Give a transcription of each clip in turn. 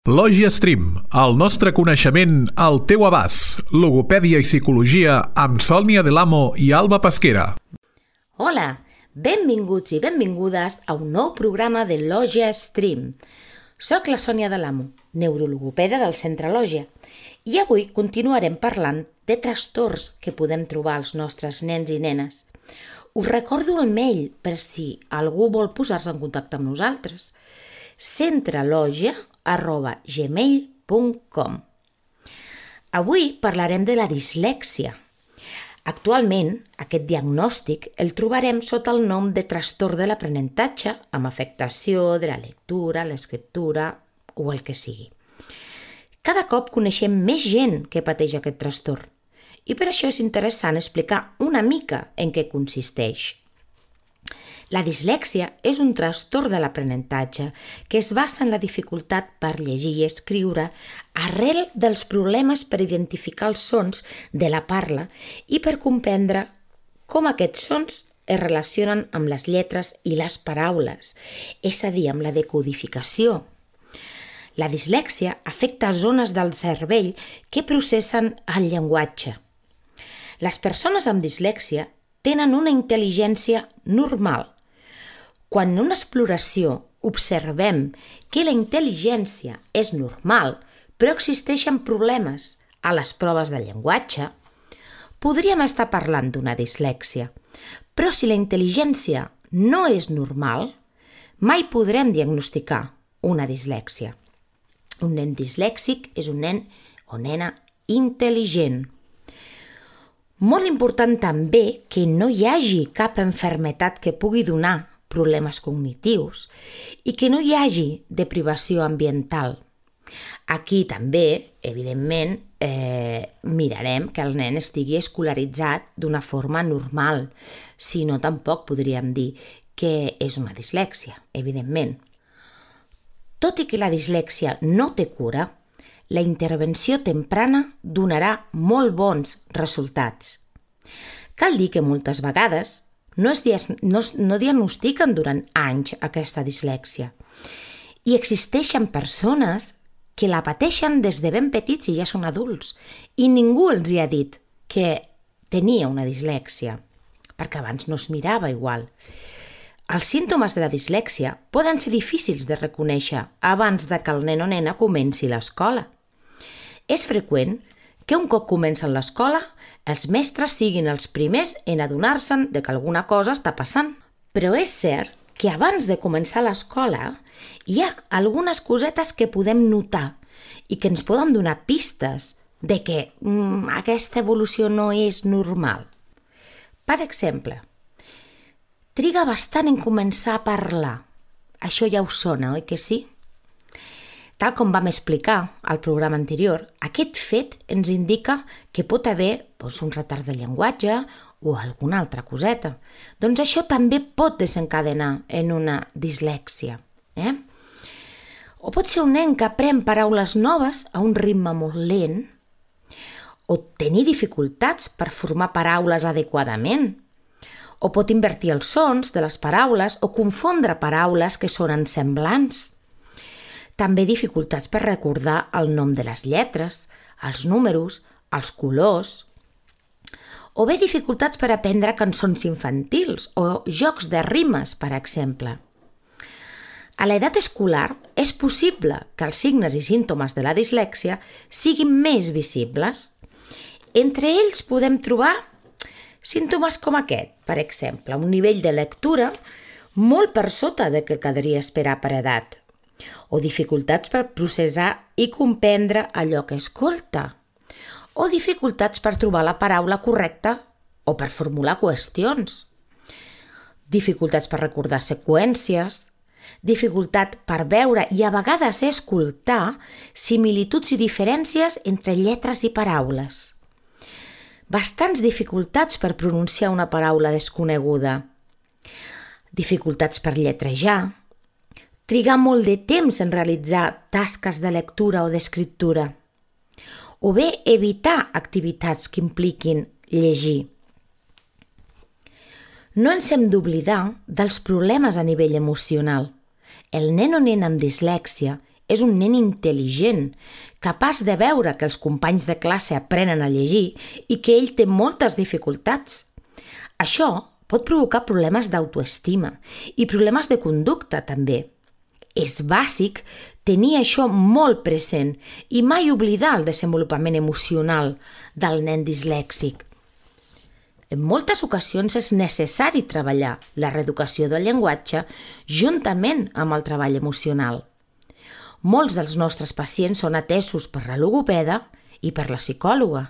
Lògia Stream, el nostre coneixement al teu abast. Logopèdia i psicologia amb Sònia Delamo i Alba Pesquera. Hola, benvinguts i benvingudes a un nou programa de Lògia Stream. Soc la Sònia Delamo, neurologopeda del Centre Lògia, i avui continuarem parlant de trastorns que podem trobar als nostres nens i nenes. Us recordo el mail per si algú vol posar-se en contacte amb nosaltres. centralogia@gmail.com. Avui parlarem de la dislèxia. Actualment, aquest diagnòstic el trobarem sota el nom de trastorn de l'aprenentatge amb afectació de la lectura, l'escriptura o el que sigui. Cada cop coneixem més gent que pateix aquest trastorn i per això és interessant explicar una mica en què consisteix. La dislèxia és un trastorn de l'aprenentatge que es basa en la dificultat per llegir i escriure arrel dels problemes per identificar els sons de la parla i per comprendre com aquests sons es relacionen amb les lletres i les paraules, és a dir, amb la decodificació. La dislèxia afecta zones del cervell que processen el llenguatge. Les persones amb dislèxia tenen una intel·ligència normal. Quan en una exploració observem que la intel·ligència és normal, però existeixen problemes a les proves de llenguatge, podríem estar parlant d'una dislèxia. Però si la intel·ligència no és normal, mai podrem diagnosticar una dislèxia. Un nen dislèxic és un nen o nena intel·ligent. Molt important també que no hi hagi cap malaltia que pugui donar problemes cognitius i que no hi hagi deprivació ambiental. Aquí també, evidentment, mirarem que el nen estigui escolaritzat d'una forma normal, si no tampoc podríem dir que és una dislèxia, evidentment. Tot i que la dislèxia no té cura, la intervenció temprana donarà molt bons resultats. Cal dir que moltes vegades no diagnostiquen durant anys aquesta dislèxia i existeixen persones que la pateixen des de ben petits i ja són adults i ningú els hi ha dit que tenia una dislèxia, perquè abans no es mirava igual. Els símptomes de la dislèxia poden ser difícils de reconèixer abans de que el nen o nena comenci l'escola. És freqüent que un cop comencen l'escola, els mestres siguin els primers en adonar-se'n de que alguna cosa està passant. Però és cert que abans de començar l'escola hi ha algunes cosetes que podem notar i que ens poden donar pistes de que aquesta evolució no és normal. Per exemple, triga bastant en començar a parlar. Això ja us sona, oi que sí? Tal com vam explicar al programa anterior, aquest fet ens indica que pot haver un retard de llenguatge o alguna altra coseta. Doncs això també pot desencadenar en una dislèxia. O pot ser un nen que aprèn paraules noves a un ritme molt lent, o tenir dificultats per formar paraules adequadament, o pot invertir els sons de les paraules o confondre paraules que sonen semblants. També dificultats per recordar el nom de les lletres, els números, els colors, o bé dificultats per aprendre cançons infantils o jocs de rimes, per exemple. A l'edat escolar és possible que els signes i símptomes de la dislèxia siguin més visibles. Entre ells podem trobar símptomes com aquest, per exemple, un nivell de lectura molt per sota del que caldria esperar per edat, o dificultats per processar i comprendre allò que escolta, o dificultats per trobar la paraula correcta o per formular qüestions, dificultats per recordar seqüències, dificultat per veure i a vegades escoltar similituds i diferències entre lletres i paraules, bastants dificultats per pronunciar una paraula desconeguda, dificultats per lletrejar, trigar molt de temps en realitzar tasques de lectura o d'escriptura, o bé evitar activitats que impliquin llegir. No ens hem d'oblidar dels problemes a nivell emocional. El nen o nena amb dislèxia és un nen intel·ligent, capaç de veure que els companys de classe aprenen a llegir i que ell té moltes dificultats. Això pot provocar problemes d'autoestima i problemes de conducta també. És bàsic tenir això molt present i mai oblidar el desenvolupament emocional del nen dislèxic. En moltes ocasions és necessari treballar la reeducació del llenguatge juntament amb el treball emocional. Molts dels nostres pacients són atesos per la logopeda i per la psicòloga.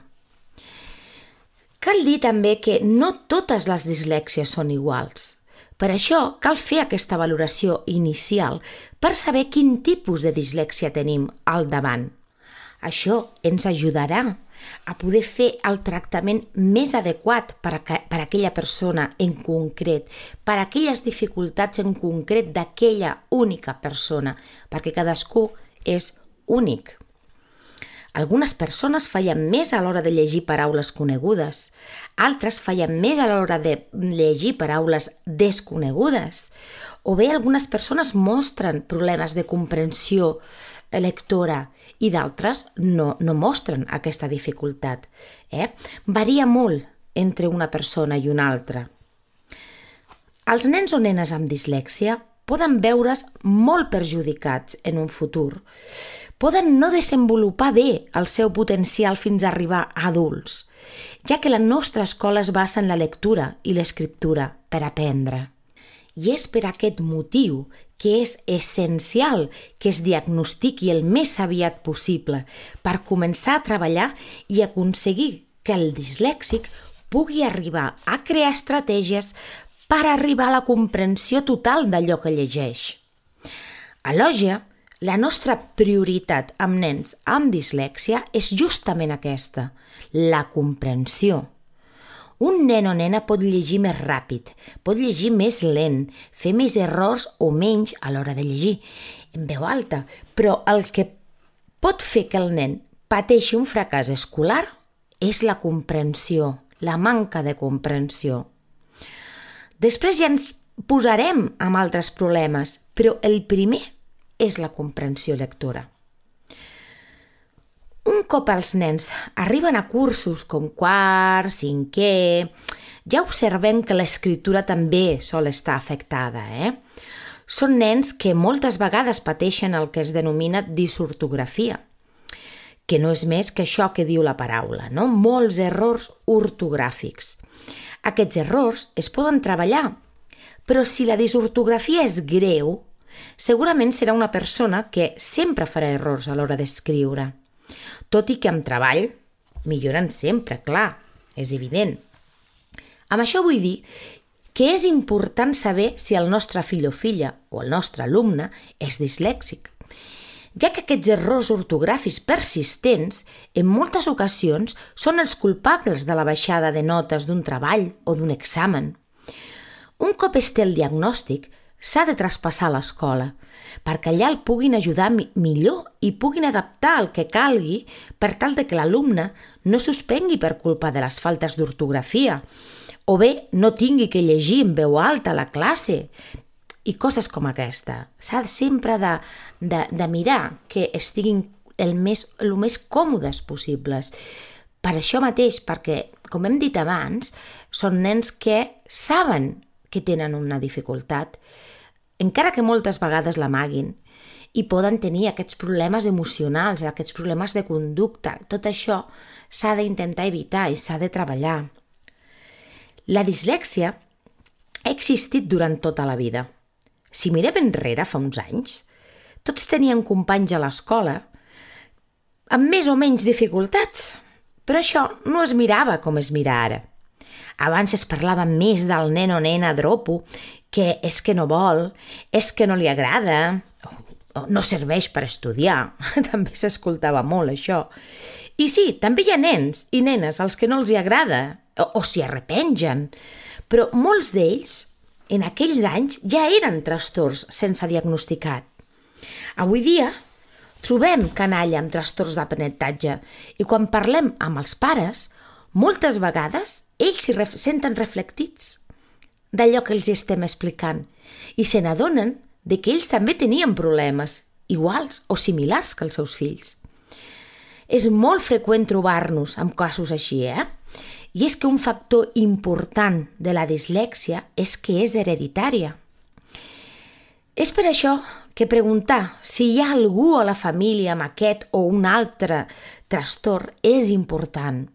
Cal dir també que no totes les dislèxies són iguals. Per això cal fer aquesta valoració inicial per saber quin tipus de dislèxia tenim al davant. Això ens ajudarà a poder fer el tractament més adequat per a aquella persona en concret, per a aquelles dificultats en concret d'aquella única persona, perquè cadascú és únic. Algunes persones fallen més a l'hora de llegir paraules conegudes, altres fallen més a l'hora de llegir paraules desconegudes, o bé algunes persones mostren problemes de comprensió lectora i d'altres no mostren aquesta dificultat. Varia molt entre una persona i una altra. Els nens o nenes amb dislèxia poden veure's molt perjudicats en un futur. Poden no desenvolupar bé el seu potencial fins a arribar a adults, ja que la nostra escola es basa en la lectura i l'escriptura per aprendre. I és per aquest motiu que és essencial que es diagnostiqui el més aviat possible per començar a treballar i aconseguir que el dislèxic pugui arribar a crear estratègies per arribar a la comprensió total d'allò que llegeix. A Lògia, la nostra prioritat amb nens amb dislèxia és justament aquesta, la comprensió. Un nen o nena pot llegir més ràpid, pot llegir més lent, fer més errors o menys a l'hora de llegir, en veu alta, però el que pot fer que el nen pateixi un fracàs escolar és la comprensió, la manca de comprensió. Després ja ens posarem amb altres problemes, però el primer és la comprensió lectora. Un cop els nens arriben a cursos com quart, cinquè, ja observem que l'escriptura també sol estar afectada. Són nens que moltes vegades pateixen el que es denomina disortografia, que no és més que això que diu la paraula, no? Molts errors ortogràfics. Aquests errors es poden treballar, però si la disortografia és greu, segurament serà una persona que sempre farà errors a l'hora d'escriure. Tot i que amb treball milloren sempre, clar, és evident. Amb això vull dir que és important saber si el nostre fill o filla o el nostre alumne és dislèxic, ja que aquests errors ortogràfics persistents en moltes ocasions són els culpables de la baixada de notes d'un treball o d'un examen. Un cop es té el diagnòstic, s'ha de traspassar a l'escola, perquè allà el puguin ajudar millor i puguin adaptar el que calgui per tal de que l'alumne no suspengui per culpa de les faltes d'ortografia, o bé no tingui que llegir en veu alta a la classe, i coses com aquesta. S'ha sempre de mirar que estiguin el més còmodes possibles. Per això mateix, perquè, com hem dit abans, són nens que saben que tenen una dificultat, encara que moltes vegades l'amaguin, i poden tenir aquests problemes emocionals, aquests problemes de conducta. Tot això s'ha d'intentar evitar i s'ha de treballar. La dislèxia ha existit durant tota la vida. Si mirem enrere fa uns anys, tots tenien companys a l'escola amb més o menys dificultats, però això no es mirava com es mira ara. Abans es parlava més del nen o nena dropo, que és que no vol, és que no li agrada, o no serveix per estudiar. També s'escoltava molt això. I sí, també hi ha nens i nenes als que no els hi agrada, o s'hi arrepengen, però molts d'ells en aquells anys ja eren trastorns sense diagnosticat. Avui dia trobem canalla amb trastorns d'aprenentatge i quan parlem amb els pares, moltes vegades ells s'hi senten reflectits d'allò que els estem explicant i se n'adonen que ells també tenien problemes iguals o similars que els seus fills. És molt freqüent trobar-nos amb casos així, I és que un factor important de la dislèxia és que és hereditària. És per això que preguntar si hi ha algú a la família amb aquest o un altre trastorn és important.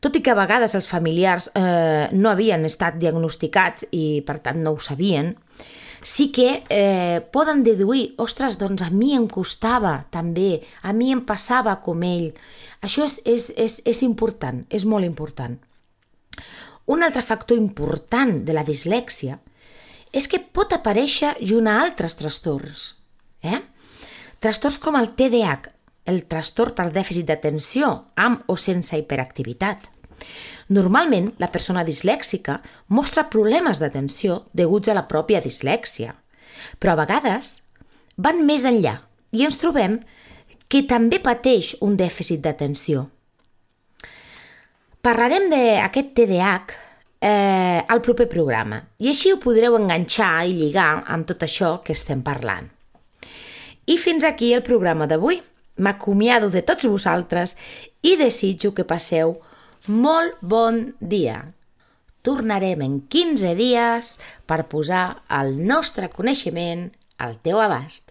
Tot i que a vegades els familiars no havien estat diagnosticats i per tant no ho sabien, sí que poden deduir, ostres, doncs a mi em costava també, a mi em passava com ell. Això és important, és molt important. Un altre factor important de la dislèxia és que pot aparèixer junt a altres trastorns. Trastorns com el TDAH, el trastorn per dèficit d'atenció amb o sense hiperactivitat. Normalment, la persona dislèxica mostra problemes d'atenció deguts a la pròpia dislèxia, però a vegades van més enllà i ens trobem que també pateix un dèficit d'atenció. Parlarem d'aquest TDAH al proper programa i així ho podreu enganxar i lligar amb tot això que estem parlant. I fins aquí el programa d'avui. M'acomiado de tots vosaltres i desitjo que passeu molt bon dia. Tornarem en 15 dies per posar el nostre coneixement al teu abast.